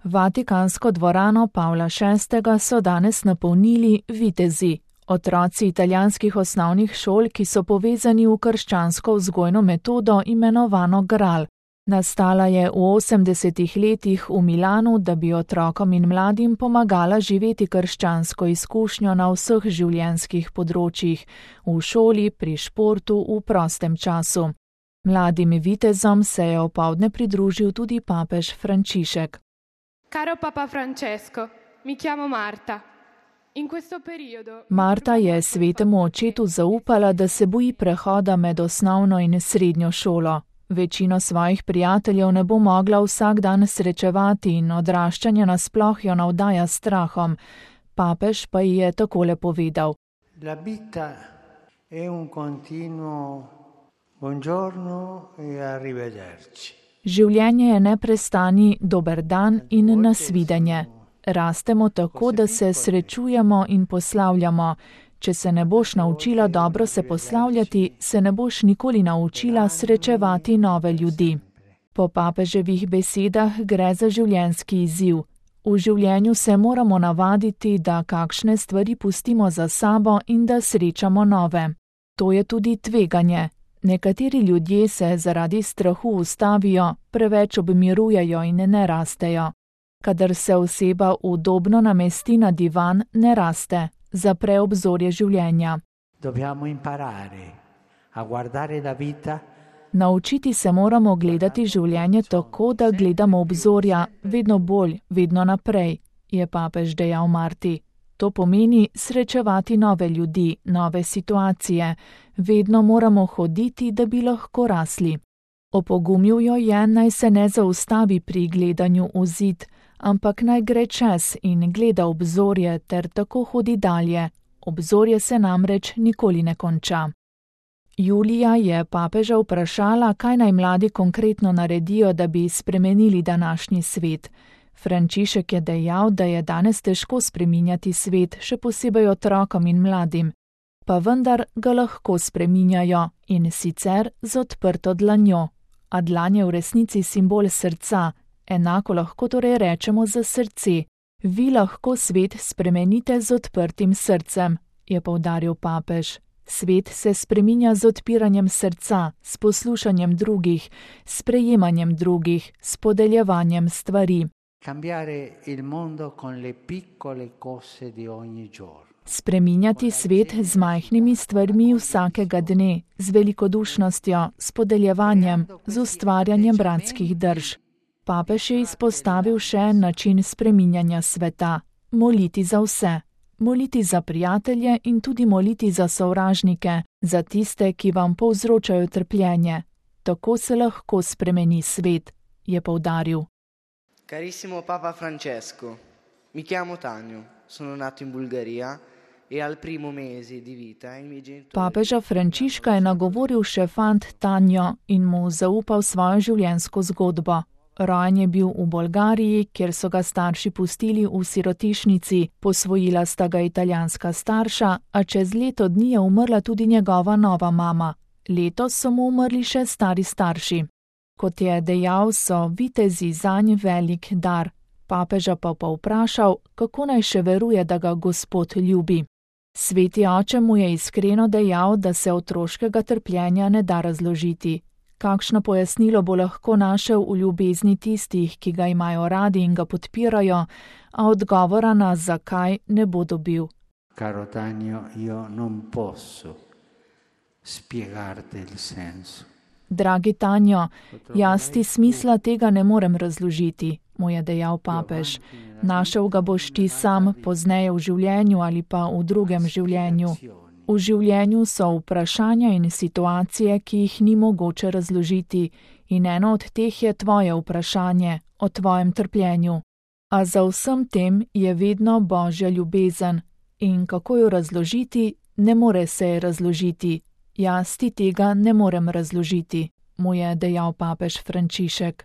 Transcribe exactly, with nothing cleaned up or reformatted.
Vatikansko dvorano Pavla šestega so danes napolnili vitezi, otroci italijanskih osnovnih šol, ki so povezani v krščansko vzgojno metodo imenovano Gral. Nastala je v osemdesetih letih v Milanu, da bi otrokom in mladim pomagala živeti krščansko izkušnjo na vseh življenjskih področjih, v šoli, pri športu, v prostem času. Mladim vitezom se je opoldne pridružil tudi papež Frančišek. Caro Papa Francesco, mi chiamo Marta. In questo periodo... Marta je svetemu očetu zaupala, da se boji prehoda med osnovno in srednjo šolo. Večino svojih prijateljev ne bo mogla vsak dan srečevati in odraščanje nasploh jo navdaja s strahom. Papež pa ji je takole povedal. La vita è un continuo buongiorno e arrivederci. Življenje je neprestani dober dan in nasvidenje. Rastemo tako, da se srečujemo in poslavljamo. Če se ne boš naučila dobro se poslavljati, se ne boš nikoli naučila srečevati nove ljudi. Po papeževih besedah gre za življenjski izziv. V življenju se moramo navaditi, da kakšne stvari pustimo za sabo in da srečamo nove. To je tudi tveganje. Nekateri ljudje se zaradi strahu ustavijo, preveč obmirujejo in ne rastejo. Kadar se oseba udobno namesti na divan, ne raste, zapre obzorje življenja. Dobbiamo imparare a guardare la vita. Naučiti se moramo gledati življenje tako, da gledamo obzorja vedno bolj, vedno naprej, je papež dejal Marti. To pomeni srečevati nove ljudi, nove situacije. Vedno moramo hoditi, da bi lahko rasli. Opogumil jo je, naj se ne zaustavi pri gledanju v zid, ampak naj gre čez in gleda obzorje ter tako hodi dalje. Obzorje se namreč nikoli ne konča. Julija je papeža vprašala, kaj naj mladi konkretno naredijo, da bi spremenili današnji svet. Frančišek je dejal, da je danes težko spreminjati svet, še posebej otrokom in mladim, pa vendar ga lahko spreminjajo in sicer z odprto dlanjo. A dlan je v resnici simbol srca, enako lahko torej rečemo za srce. Vi lahko svet spremenite z odprtim srcem, je poudaril papež. Svet se spreminja z odpiranjem srca, s poslušanjem drugih, s prejemanjem drugih, s podeljevanjem stvari. Cambiare il mondo con le piccole cose di ogni giorno. Spreminjati svet z majhnimi stvarmi vsakega dne, z velikodušnostjo, s podeljevanjem, z ustvarjanjem bratskih drž. Papež je izpostavil še način spreminjanja sveta. Moliti za vse. Moliti za prijatelje in tudi moliti za sovražnike, za tiste, ki vam povzročajo trpljenje. Tako se lahko spremeni svet, je poudaril. Carissimo Papa Francesco, mi chiamo Tanjo, sono nato in Bulgaria e al primo mese di vita i miei genitori... Papeža Frančiška je nagovoril še fant Tanjo in mu zaupal svojo življenjsko zgodbo. Rojen je bil v Bolgariji, kjer so ga starši pustili v sirotišnici, posvojila sta ga italijanska starša, a čez leto dni je umrla tudi njegova nova mama. Letos so mu umrli še stari starši. Kot je dejal, so vitezi zanj velik dar. Papeža pa pa vprašal, kako naj še veruje, da ga Gospod ljubi. Sveti oče mu je iskreno dejal, da se otroškega trpljenja ne da razložiti. Kakšno pojasnilo bo lahko našel v ljubezni tistih, ki ga imajo radi in ga podpirajo, a odgovora na zakaj ne bo dobil. Caro Tanjo, io non posso spiegarti il senso. Dragi Tanjo, jaz ti smisla tega ne morem razložiti, mu je dejal papež. Našel ga boš ti sam, pozneje v življenju ali pa v drugem življenju. V življenju so vprašanja in situacije, ki jih ni mogoče razložiti, in eno od teh je tvoje vprašanje, o tvojem trpljenju. A za vsem tem je vedno Božja ljubezen, in kako jo razložiti, ne more se je razložiti. Jaz ti tega ne morem razložiti, mu je dejal papež Frančišek.